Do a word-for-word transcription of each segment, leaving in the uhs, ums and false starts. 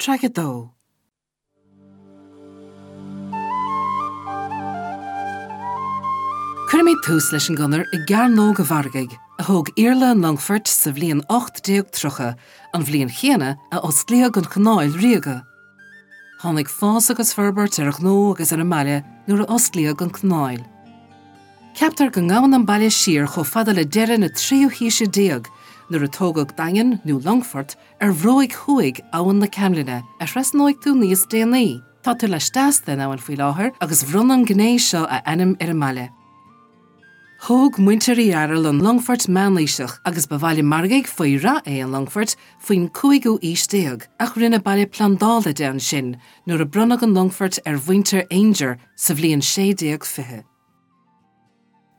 Traic a dó. Cuirfimid tús leis an gconair i gCearnóg an Mhargaidh, a thóg Iarla an Longfoirt sa bhliain ocht déag tríocha, an bhliain chéanna a osclaíodh an Chanáil Ríoga. Tháinig fás agus forbairt ar an ghnó agus ar an mbaile nuair a osclaíodh an chanáil. Ceaptar go ngabhann an baile siar chomh fada le deireadh na tríú haoise déag, nuair a tógadh daingean nó longfort ar bhruaigh thuaidh Abhainn na Caimlinne, a thrasnóidh tú níos déanaí. Tá tú laisteas den abhainn faoi láthair agus bhronn an ghné seo a ainm ar an mbaile. Thóg muintir Uí Fhearghail an longfort meánaoiseach agus ba bhaile margaidh faoi rath é an Longfort faoin cúigiú haois déag, ach rinneadh baile plandála de ansin nuair a bronnadh an longfort ar mhuintir Aungier sa bhliain sé déag fiche.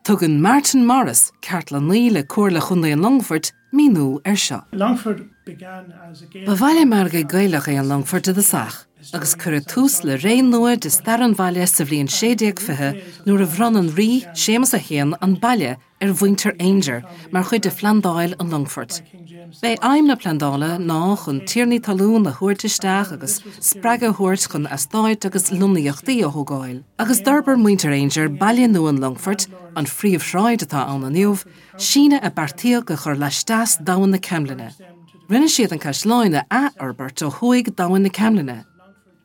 Tugann Martin Morris, cartlannaí le Comhairle Chontae an Longfoirt, míniú air seo. Longford began as a Gaelic Ba bhaile margaidh Gaelach é an Longfort i dtosach, agus cuireadh tús le ré nua de stair an bhaile sa bhliain sé déag fiche nuair a bhronn an Rí Séamus a haon an baile ar mhuintir Aungier mar chuid de phlandáil an Longfoirt. B'é aidhm na plandála ná chun tiarnaí talún a thabhairt isteach agus spreagadh a thabhairt chun eastáit agus lonnaíochtaí a thógáil. Agus d'fhorbair muintir Aungier baile nua an Longfoirt, an phríomhshráid atá ann inniu, síneadh a beartaíodh a chur laisteas d'Abhainn na Caimlinne. Rinne siad an caisleán a athfhorbairt ó thuaidh d'Abhainn na Caimlinne.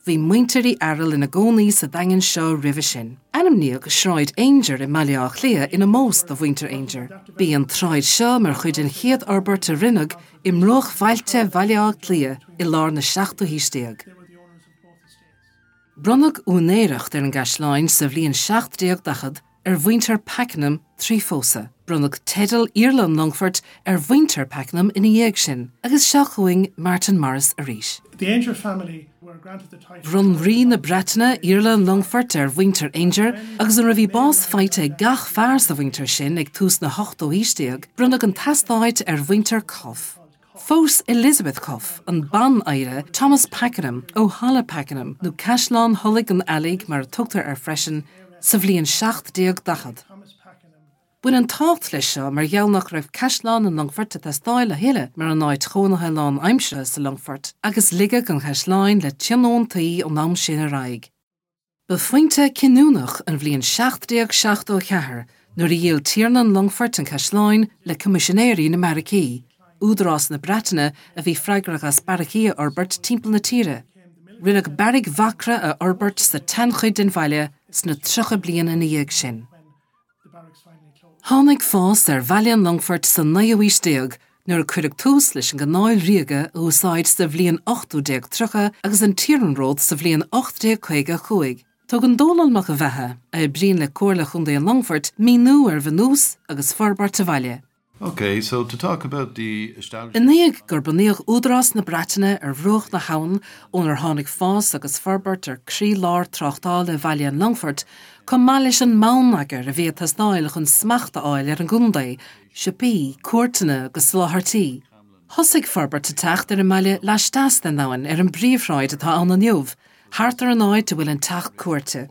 Bhí muintir Uí Fhearghail ina gcónaí sa daingean seo roimhe sin. Ainmníodh Sráid Aungier i mBaile Átha Cliath in ómós do mhuintir Aungier. Bhí an tsráid seo mar chuid den chéad fhorbairt a rinneadh i mbruachbhailte Bhaile Átha Cliath i lár na seachtú haois déag. Bronnadh úinéireacht ar an gcaisleán sa bhliain seacht déag daichead ar mhuintir Pakenham trí phósadh. Bronnadh teideal Iarla an Longfoirt ar mhuintir Pakenham ina dhiaidh sin, agus seo chugainn Martin Morris arís. The Aungier family were granted the title. Bhronn Rí na Breataine Iarla an Longfoirt ar mhuintir Aungier, agus nuair a bhí bás faighte ag gach fear sa mhuintir sin ag tús na hochtó haois déag, bronnadh an t-eastát ar mhuintir Cuffe. Phós Elizabeth Cuffe, an ban-oidhre Thomas Pakenham ó Halla Pakenham nó Caisleán Thulaigh an Eallaigh mar a tugtar air freisin, sa bhliain seacht déag daichead. Bhain an tábhacht leis seo mar gheall nach raibh Caisleán an Longfoirt ag teastáil a thuilleadh mar an áit chónaithe lánaimseartha sa Longfort, agus ligeadh an caisleán le tionóntaí ón am sin ar aghaidh. Ba phointe cinniúnach an bhliain seacht déag seachtó a ceathair nuair a dhíol Tiarna an Longfoirt an caisleán le Coimisinéirí na mBeairicí, Údarás na Breataine a bhí freagrach as beairicí a fhorbairt timpeall na tíre. Rinneadh beairic Mhacra a fhorbairt sa tseanchuid den bhaile sna tríocha bliain ina dhiaidh sin. Tháinig fás ar Bhaile an Longfoirt sa naoú haois déag nuair a cuireadh tús leis an gCanáil Ríoga a úsáid sa bhliain ochtú déag tríocha agus an t-iarnród sa bhliain ocht déag caoga a cúig. Tugann Dónall Mac an Bheatha, a oibríonn le Comhairle Chontae an Longfoirt, míniú ar bhunús agus forbairt an bhaile. Okay, so to talk about the establishment. I ndiaidh gur bunaíodh Údarás na Breataine ar bhruach na habhann ónar tháinig fás agus forbairt ar chroílár tráchtála Bhaile an Longfoirt, chomh maith leis an mbonneagar a bhí ag teastáil chun smacht a fháil ar an gcontae, siopaí, cúirteanna agus soláthairtí. Thosaigh forbairt ag teacht ar an mbaile laisteas den abhainn ar an bpríomhshráid atá ann inniu, thart ar an áit a bhfuil an teach cúirte.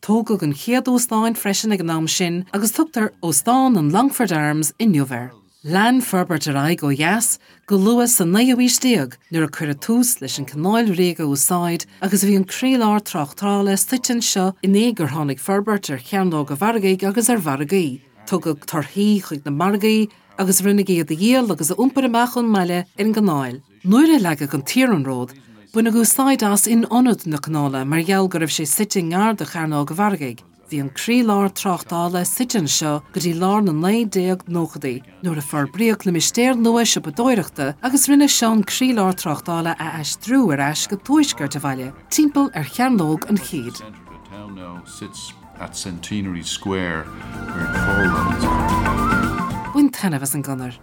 Tógadh an chéad óstán freisin ag an am sin agus tugtar Óstán an Longford Arms inniu air. Lean forbairt ar aghaidh ó dheas go luath sa naoú haois déag nuair a cuireadh tús leis an Chanáil Ríoga a úsáid agus bhí an croílár tráchtála suite anseo i ndiaidh gur tháinig forbairt ar Chearnóg an Mhargaidh agus ar mhargaí. Tugadh torthaí chuig na margaí agus rinneadh iad a dhíol agus a iompar amach ón mbaile ar an gcanáil. Nuair a leagadh an t-iarnród, baineadh úsáid as in ionad na canála mar gheall go raibh sé suite i ngar do Chearnóg an Mhargaidh. Bhí an croílár tráchtála suite anseo go dtí lár na naoi déag nóchaidí, nuair a forbraíodh limistéar nua siopadóireachta agus rinne seo an croílár tráchtála a aistriú ar ais go tuaisceart an bhaile, timpeall ar Chearnóg an Chéid. Centre of the town now sits at Centenary Square where the toll road is. Bain taitneamh as an gconair.